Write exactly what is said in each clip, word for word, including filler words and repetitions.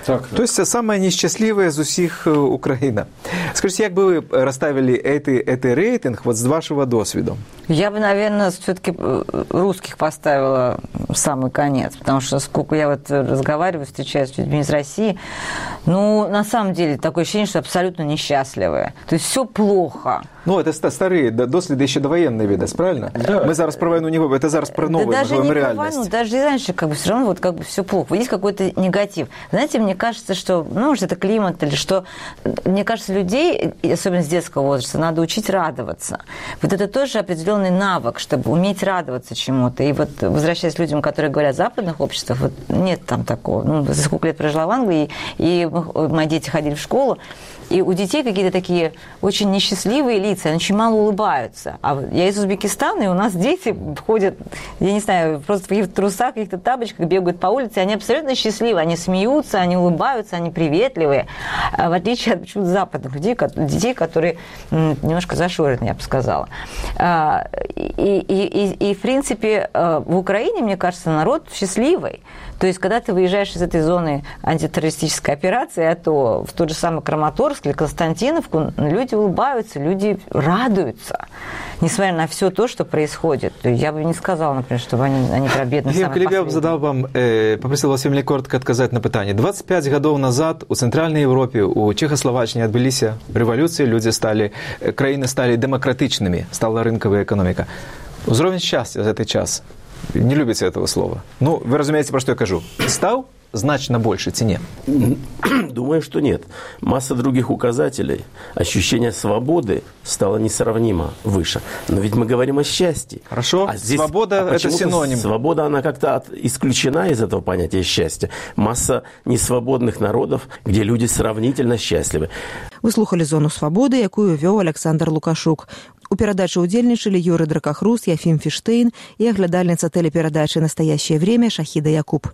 Так, То есть самая несчастливая из усіх Украина. Скажите, как бы вы расставили этот, этот рейтинг вот с вашего досвида? Я бы, наверное, все-таки русских поставила в самый конец, потому что сколько я вот разговариваю, встречаюсь с людьми из России, ну, на самом деле, такое ощущение, что абсолютно несчастливые. То есть все плохо. Ну, это старые доследы еще довоенные виды, правильно? Да. Мы зараз про войну не говорим, это зараз про новую, да даже не реальность. про войну, даже и раньше как бы все равно вот как бы все плохо. Есть какой-то негатив. Знаете, мне кажется, что, ну, может, это климат или что, мне кажется, людей, особенно с детского возраста, надо учить радоваться. Вот это тоже определенный навык, чтобы уметь радоваться чему-то. И вот, возвращаясь к людям, которые говорят о западных обществах, вот нет там такого. Ну, за сколько лет прожила в Англии, и мои дети ходили в школу, и у детей какие-то такие очень несчастливые лица, они очень мало улыбаются. А я из Узбекистана, и у нас дети ходят, я не знаю, просто в каких-то трусах, в каких-то тапочках бегают по улице, и они абсолютно счастливы, они смеются, они улыбаются, они приветливые, в отличие от почему-то западных людей, детей, которые немножко зашорены, я бы сказала. И, и, и, и, в принципе, в Украине, мне кажется, народ счастливый. То есть, когда ты выезжаешь из этой зоны антитеррористической операции, а то в тот же самый Краматорск или Константиновку, люди улыбаются, люди радуются, несмотря на все то, что происходит. Я бы не сказала, например, что они, они про бедных самых последних. Я бы задал вам, э, попросил вас вельмі коротко отказать на питание. двадцать пять годов назад у Центральной Европе, у Чехословаччине отбылись революции, люди стали, краины стали демократичными, стала рынковая экономика. Уровень счастья за этот час, не любите этого слова. Ну, вы разумеете, про что я кажу. Стал значно больше цене? Думаю, что нет. Масса других указателей. Ощущение свободы стало несравнимо выше. Но ведь мы говорим о счастье. Хорошо. А здесь, свобода а – это синоним. Свобода, она как-то от, исключена из этого понятия счастья. Масса несвободных народов, где люди сравнительно счастливы. Вы слухали «Зону свободы», якую вёў Александр Лукашук. У перадачы ўдзельнічалі Юры Дракахрус, Яфім Фіштейн і аглядальніца тэлеперадачы «Настоящее время» Шахіда Якуб.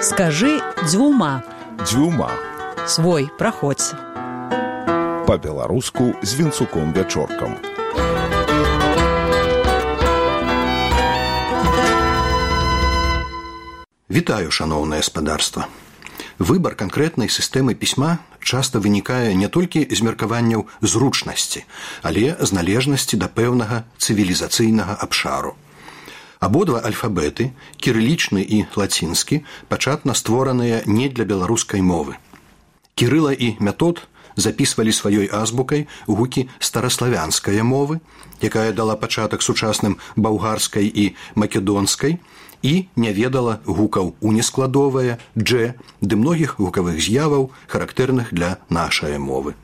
Скажи дзвюма. Дзвюма. Свой, праходзь. Па-беларуску з Вінцуком Вячоркам. Вітаю, шановнае гаспадарства. Выбар канкрэтнай сістэмы пісьма часта вынікае не толькі з меркаванняў зручнасці, але з належнасці да пэўнага цывілізацыйнага абшару. Абодва альфабеты, кірылічны і лацінскі, пачатна створаныя не для беларускай мовы. Кірыла і Метод запісвалі сваёй азбукай гукі стараславянскай мовы, якая дала пачатак сучасным балгарскай і македонскай, і не ведала гукаў унескладовая, дже, ды многіх гукавых з'яваў, характэрных для нашай мовы.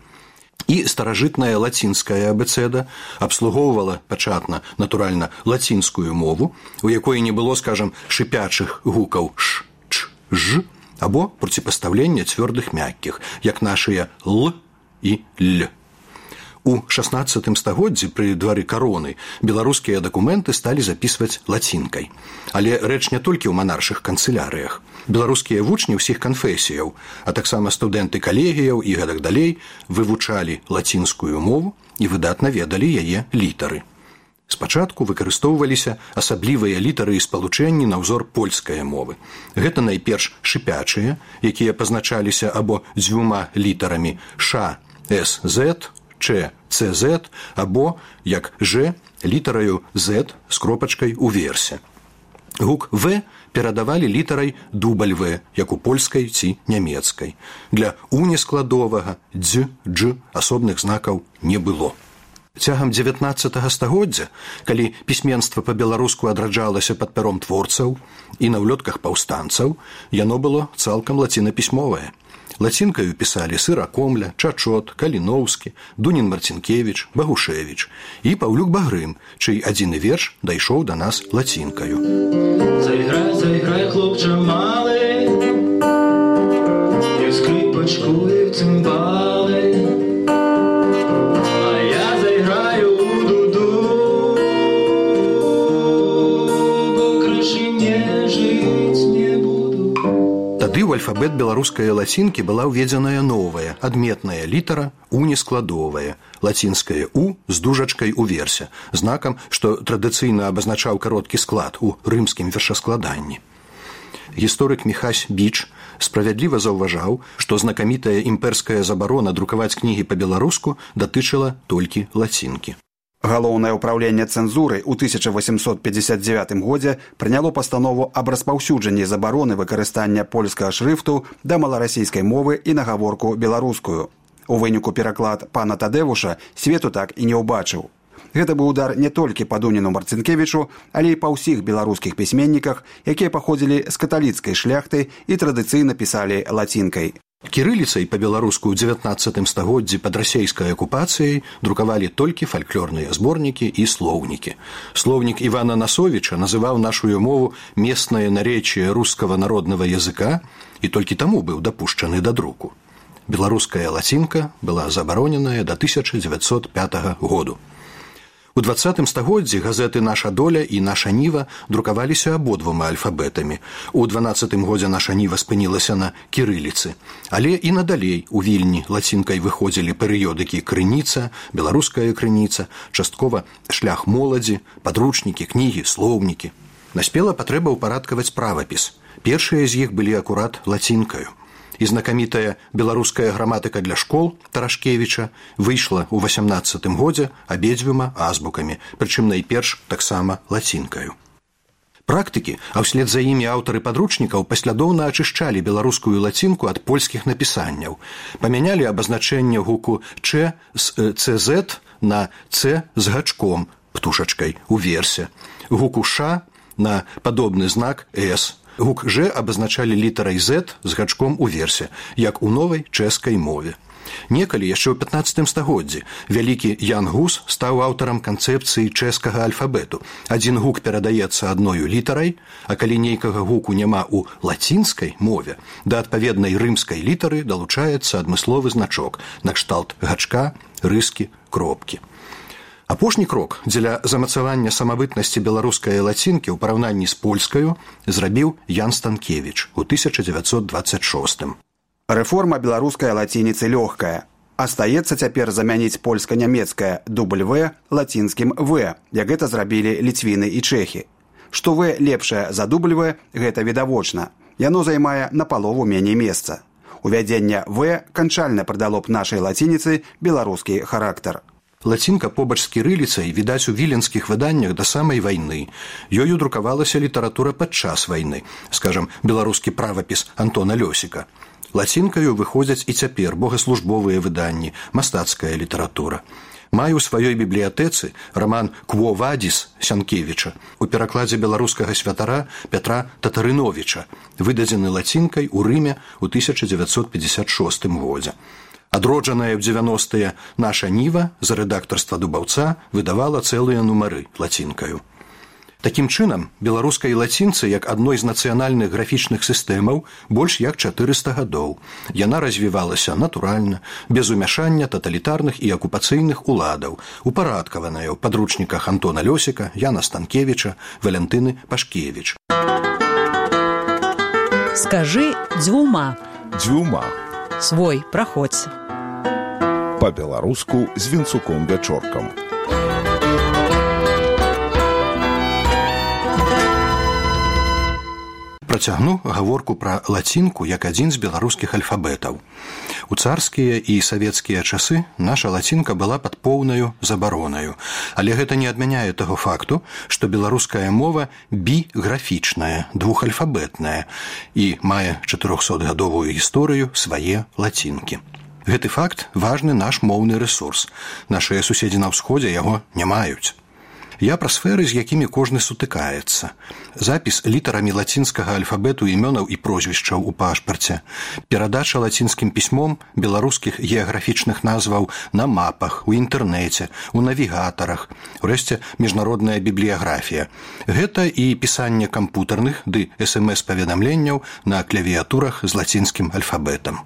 І старажытная лацінская абэцэда абслугоўвала пачатна, натуральна, лацінскую мову, у якой не было, скажам, шыпячых гукаў ш, ч, ж, або проціпастаўлення цвёрдых мяккіх, як нашыя л і л. У шаснаццатым стагоддзі пры двары кароны беларускія дакументы сталі запісваць лацінкай. Але рэч не толькі ў манаршых канцылярыях. Беларускія вучні ўсіх канфесіяў, а таксама студэнты калегіяў і гэтак далей вывучалі лацінскую мову і выдатна ведалі яе літары. Спачатку выкарыстоўваліся асаблівыя літары і спалучэнні на ўзор польскай мовы. Гэта найперш шыпячыя, якія пазначаліся або дзвюма літарамі ш, с, з, ч, ц, з, або, як ж, літараю з з кропачкай уверсе. Гук в перадавалі літарай дубль в, як у польскай ці нямецкай. Для унескладовага дз, дж асобных знакаў не было. Цягам дзевятнаццатага стагоддзя, калі пісьменства па-беларуску адраджалася пад пяром творцаў і на ўлётках паўстанцаў, яно было цалкам лацінапісьмовае. Лацінкаю пісалі Сыракомля, Чачот, Каліноўскі, Дунін Марцінкевіч, Багушевіч і Паўлюк Багрым, чый адзіны верш дайшоў да нас лацінкаю. Зайграй, зайграй, хлопча малы, і скрипочку, і цимбали, а я зайграю у дуду, бо крышы не жыць не буду. Тады ў альфабет беларускай лацінкі была ўведзеная новая, адметная літара унескладовая, лацінская у з дужачкай уверсе, знакам, што традыцыйна абазначаў кароткі склад у рымскім вершаскладанні. гісторык Міхась Біч справядліва заўважаў, што знакамітая імперская забарона друкаваць кнігі па-беларуску датычыла толькі лацінкі. Галоўнае ўпраўленне цэнзуры ў тысяча восемьсот пятьдесят девятым годзе прыняло пастанову аб распаўсюджанні забароны выкарыстання польскага шрыфту да маларасійскай мовы і на гаворку беларускую. У выніку пераклад пана Тадэвуша свету так і не ўбачыў. Гэта быў удар не толькі па Дуніну Марцінкевічу, але і па ўсіх беларускіх пісьменніках, якія паходзілі з каталіцкай шляхты і традыцыйна пісалі лацінкай. Кірыліцай па-беларуску ў дзевятнаццатым стагоддзі пад расейскай акупацыяй друкавалі толькі фальклорныя зборнікі і слоўнікі. Слоўнік Івана Насовіча называў нашую мову местнае наречие рускага народнага языка і толькі таму быў дапушчаны да друку. Беларуская лацінка была забароненая да тысяча дзевяцьсот пятага году. У двадцатым стагоддзі газеты «Наша доля» і «Наша ніва» друкаваліся абодвума альфабетамі. У дванаццатым годзе «Наша ніва» спынілася на кірыліцы. Але і надалей у Вільні лацінкай выходзілі перыёдыкі «Крыніца», «Беларуская крыніца», часткова «Шлях моладзі», падручнікі, кнігі, слоўнікі. Наспела патрэба ўпарадкаваць правапіс. Першыя з іх былі акурат лацінкаю. І знакамітая беларуская граматыка для школ Тарашкевіча выйшла ў васямнаццатым годзе абедзвюма азбукамі, прычым найперш таксама лацінкаю. Практыкі, а ўслед за імі аўтары падручнікаў паслядоўна ачышчалі беларускую лацінку ад польскіх напісанняў. Памянялі абазначэнне гуку «ч» з «цз» на «ц» з гачком, птушачкай, у версе, гуку «ш» на падобны знак «с». Гук «ж» абазначалі літарай «з» з гачком у версе, як у новай чэшскай мове. Некалі, яшчэ ў пятнаццатым стагоддзі, вялікі Ян Гус стаў аўтарам канцэпцыі чэшскага альфабету. Адзін гук перадаецца адною літарай, а калі нейкага гуку няма ў лацінскай мове, да адпаведнай рымскай літары далучаецца адмысловы значок, накшталт гачка, рыскі, кропкі. Апошні крок дзеля замацавання самабытнасці беларускай лацінкі ў параўнанні з польскаю зрабіў Ян Станкевіч у тысяча дзевяцьсот двадцать шостым. Рэформа беларускай лацініцы лёгкая. Астаецца цяпер замяніць польска-нямецкае «W» лацінскім «В», як гэта зрабілі ліцвіны і чэхі. Што «В» лепшае за «W» гэта відавочна. Яно займае напалову меней месца. Увядзенне «В» канчальна прыдало б нашай лацініцы беларускі характар. Лацінка побач з кірыліцай відаць у віленскіх выданнях да самай вайны. Ёю друкавалася літаратура падчас вайны, скажам, беларускі правапіс Антона Лёсіка. Лацінкаю выходзяць і цяпер богаслужбовыя выданні, мастацкая літаратура. Маю ў сваёй бібліятэцы раман «Кво вадзіс» Сянкевіча у перакладзе беларускага святара Пятра Татарыновіча, выдадзены лацінкай у Рыме ў тысяча дзевяцьсот пятьдесят шостым годзе. Адроджаная ў дзевяностыя «Наша ніва» за рэдактарства Дубаўца выдавала цэлыя нумары лацінкаю. Такім чынам, беларускай лацінцы як адной з нацыянальных графічных сістэмаў больш як чатырыста гадоў. Яна развівалася натуральна, без умяшання таталітарных і акупацыйных уладаў, упарадкаваная ў падручніках Антона Лёсіка, Яна Станкевіча, Валентыны Пашкевіч. Скажы дзвюма. Дзвюма. Свой праходзь. Па-беларуску з Вінцуком Вячоркам. Працягну гаворку пра лацінку як адзін з беларускіх альфабетаў. У царскія і савецкія часы наша лацінка была пад поўнаю забаронаю, але гэта не адмяняе таго факту, што беларуская мова біграфічная, двухальфабетная і мае чатырохсотгадовую гісторыю свае лацінкі. Гэты факт важны наш моўны рэсурс. Нашыя суседзі на ўсходзе яго не маюць. Я пра сферы, з якімі кожны сутыкаецца. Запіс літарамі лацінскага альфабету імёнаў і прозвішчаў у пашпарце. Перадача лацінскім пісьмом беларускіх геаграфічных назваў на мапах, у інтэрнэце, у навігатарах, урэшце міжнародная бібліяграфія. Гэта і пісанне кампутарных ды эс эм эс-паведамленняў на клавіятурах з лацінскім альфабетам.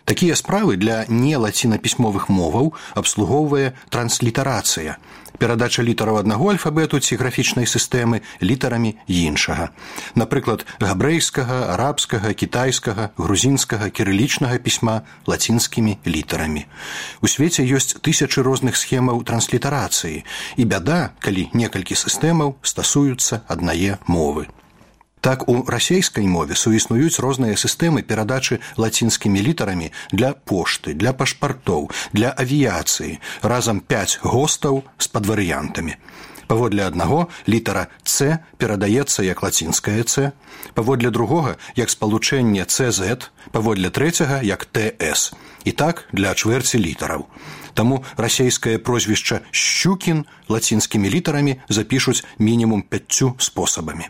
Такія справы для нелацінапісьмовых моваў абслугоўвае транслітарацыя, перадача літараў аднаго альфабету ці графічнай сістэмы літарамі іншага. Напрыклад, габрэйскага, арабскага, кітайскага, грузінскага, кірылічнага пісьма лацінскімі літарамі. У свеце ёсць тысячы розных схемаў транслітарацыі, і бяда, калі некалькі сістэмаў стасуюцца аднае мовы. Так, у расейскай мове суіснуюць розныя сістэмы перадачы лацінскімі літарамі для пошты, для пашпартоў, для авіяцыі, разам пяць гостаў з падварыянтамі. Паводле аднаго літара «Ц» перадаецца як лацінская «Ц», паводле другога як спалучэнне «Цэ зэт», паводле трэцяга як «Тэ эс». І так для чвэрці літараў. Таму расейскае прозвішча «Шчукін» лацінскімі літарамі запішуць мінімум пяццю спосабамі.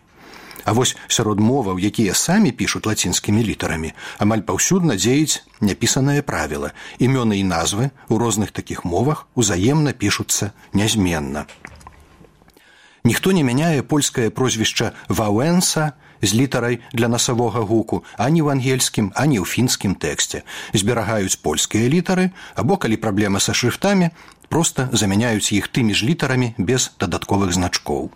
А вось сярод моваў, якія самі пішуць лацінскімі літарамі, амаль паўсюдна дзеюць няпісанае правіла. Імёны і назвы ў розных такіх мовах узаемна пішуцца нязменна. Ніхто не мяняе польскае прозвішча «Ваўэнса» з літарай для насавога гуку ані ў ангельскім, ані ў фінскім тэксце. Зберагаюць польскія літары, або, калі праблема са шрыфтамі, проста замяняюць іх тымі ж літарамі без дадатковых значкоў.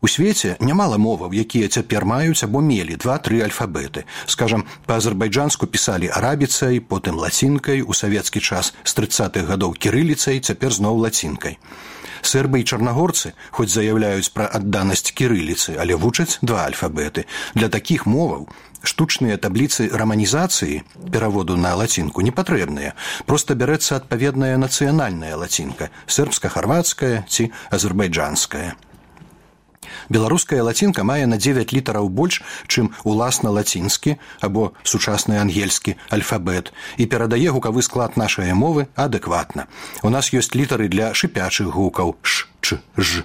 У свеце нямала моваў, якія цяпер маюць або мелі два-тры альфабеты. Скажам, па-азербайджанску пісалі арабіцай, потым лацінкай, у савецкі час з трыццатых гадоў кірыліцай, цяпер зноў лацінкай. Сербы і чарнагорцы хоць заяўляюць пра адданасць кірыліцы, але вучаць два альфабеты. Для такіх моваў штучныя табліцы раманізацыі, пераводу на лацінку, не патрэбныя. Проста бярэцца адпаведная нацыянальная лацінка, сербска-харвацкая ці азербайджанская. Беларуская лацінка мае на дзевяць літараў больш, чым уласна лацінскі або сучасны ангельскі альфабет і перадае гукавы склад нашай мовы адэкватна. У нас ёсць літары для шыпячых гукаў ш, ч, ж,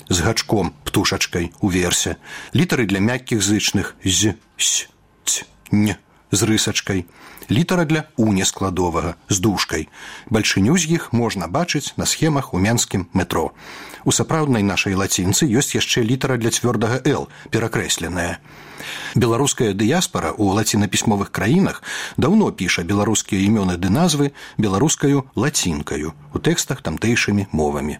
з гачком, птушачкай, уверсе, літары для мяккіх зычных з, с, ц, н, з рысачкай, літара для унескладовага з дужкай. Бальшыню з іх можна бачыць на схемах у менскім метро. У сапраўднай нашай лацінцы ёсць яшчэ літара для цвёрдага «Л», перакрэсленая. Беларуская дыяспара ў лацінапісьмовых краінах даўно піша беларускія імёны ды назвы беларускаю лацінкаю, у тэкстах тамтэйшымі мовамі.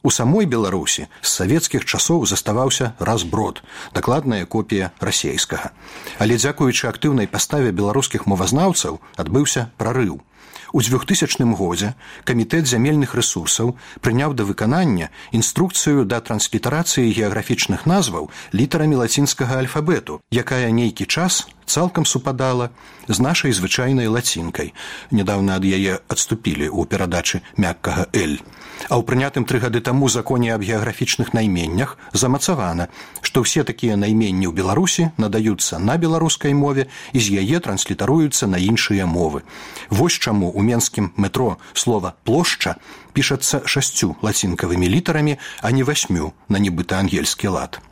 У самой Беларусі з савецкіх часоў заставаўся разброд, дакладная копія расейскага. Але дзякуючы актыўнай паставе беларускіх мовазнаўцаў адбыўся прарыў. У двухтысячным годзе Камітэт зямельных рэсурсаў прыняў да выканання інструкцыю да транслітарацыі геаграфічных назваў літарамі лацінскага альфабету, якая нейкі час цалкам супадала з нашай звычайнай лацінкай. Нядаўна ад яе адступілі ў перадачы мяккага «Л». А ў прынятым тры гады таму законе аб геаграфічных найменнях замацавана, што ўсе такія найменні ў Беларусі надаюцца на беларускай мове і з яе транслітаруюцца на іншыя мовы. Вось чаму у менскім метро слова «плошча» пішацца шасцю лацінкавымі літарамі, а не васьмю на нібыта ангельскі лад.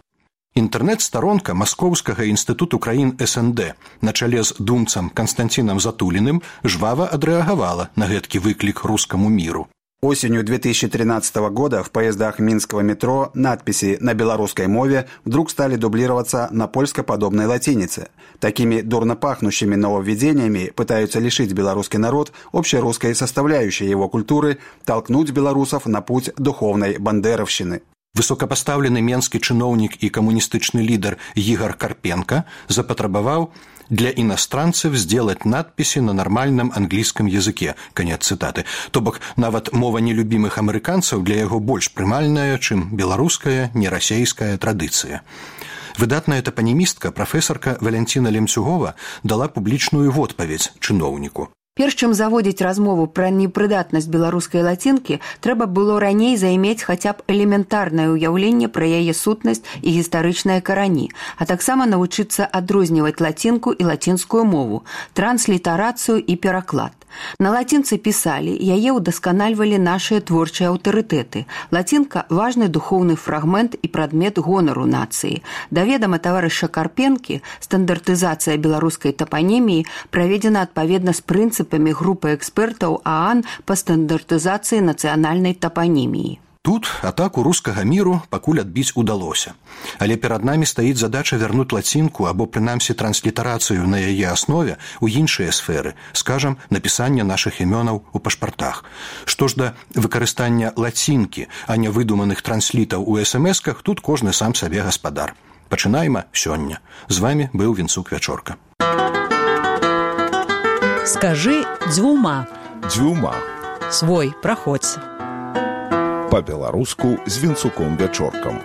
Інтэрнэт-старонка Маскоўскага інстытуту краін эс эн дэ на чале з думцам Канстанцінам Затуліным жвава адрэагавала на гэткі выклік рускаму міру. Осенью две тысячи тринадцатого года в поездах минского метро надписи на белорусской мове вдруг стали дублироваться на польскоподобной латинице. Такими дурно пахнущими нововведениями пытаются лишить белорусский народ общерусской составляющей его культуры, толкнуть белорусов на путь духовной бандеровщины. Высокопоставленный менскі чыноўнік і камуністычны лідар Ігор Карпенко запатрабаваў для иностранцев сделать надписи на нормальном английском языке. Конец цитаты. То бок, нават мова нелюбимых амерыканцаў для яго больш прымальная, чым беларуская, нерасейская традыцыя. Выдатная топанімістка, прафесарка Валянціна Лемцюгова дала публічную водпаведзь чыноўніку. Перш чым заводзіць размову пра непрыдатнасць беларускай лацінкі, трэба было раней займець хаця б элементарнае ўяўленне пра яе сутнасць і гістарычныя карані, а таксама навучыцца адрозніваць лацінку і лацінскую мову, транслітарацыю і пераклад. На лацінцы пісалі, яе ўдасканальвалі нашыя творчыя аўтарытэты. Лацінка – важны духоўны фрагмент і прадмет гонару нацыі. Да ведама таварыша Карпенкі, стандартызацыя беларускай тапаніміі праведзена адпаведна з прынцыпамі групы экспертаў ААН па стандартызацыі нацыянальнай тапаніміі. Тут атаку рускага міру пакуль адбіць удалося. Але перад намі стаіць задача вярнуць лацінку або прынамсі транслітарацыю на яе аснове ў іншыя сферы, скажам, напісання нашых імёнаў у пашпартах. Што ж да выкарыстання лацінкі, а не выдуманых транслітаў у эс эм эсках, тут кожны сам сабе гаспадар. Пачынаем сёння. З вамі быў Вінцук Вячорка. Скажи дзвюма. Дзвюма. Свой праходзь. По-беларуску з Вінцуком Вячоркам.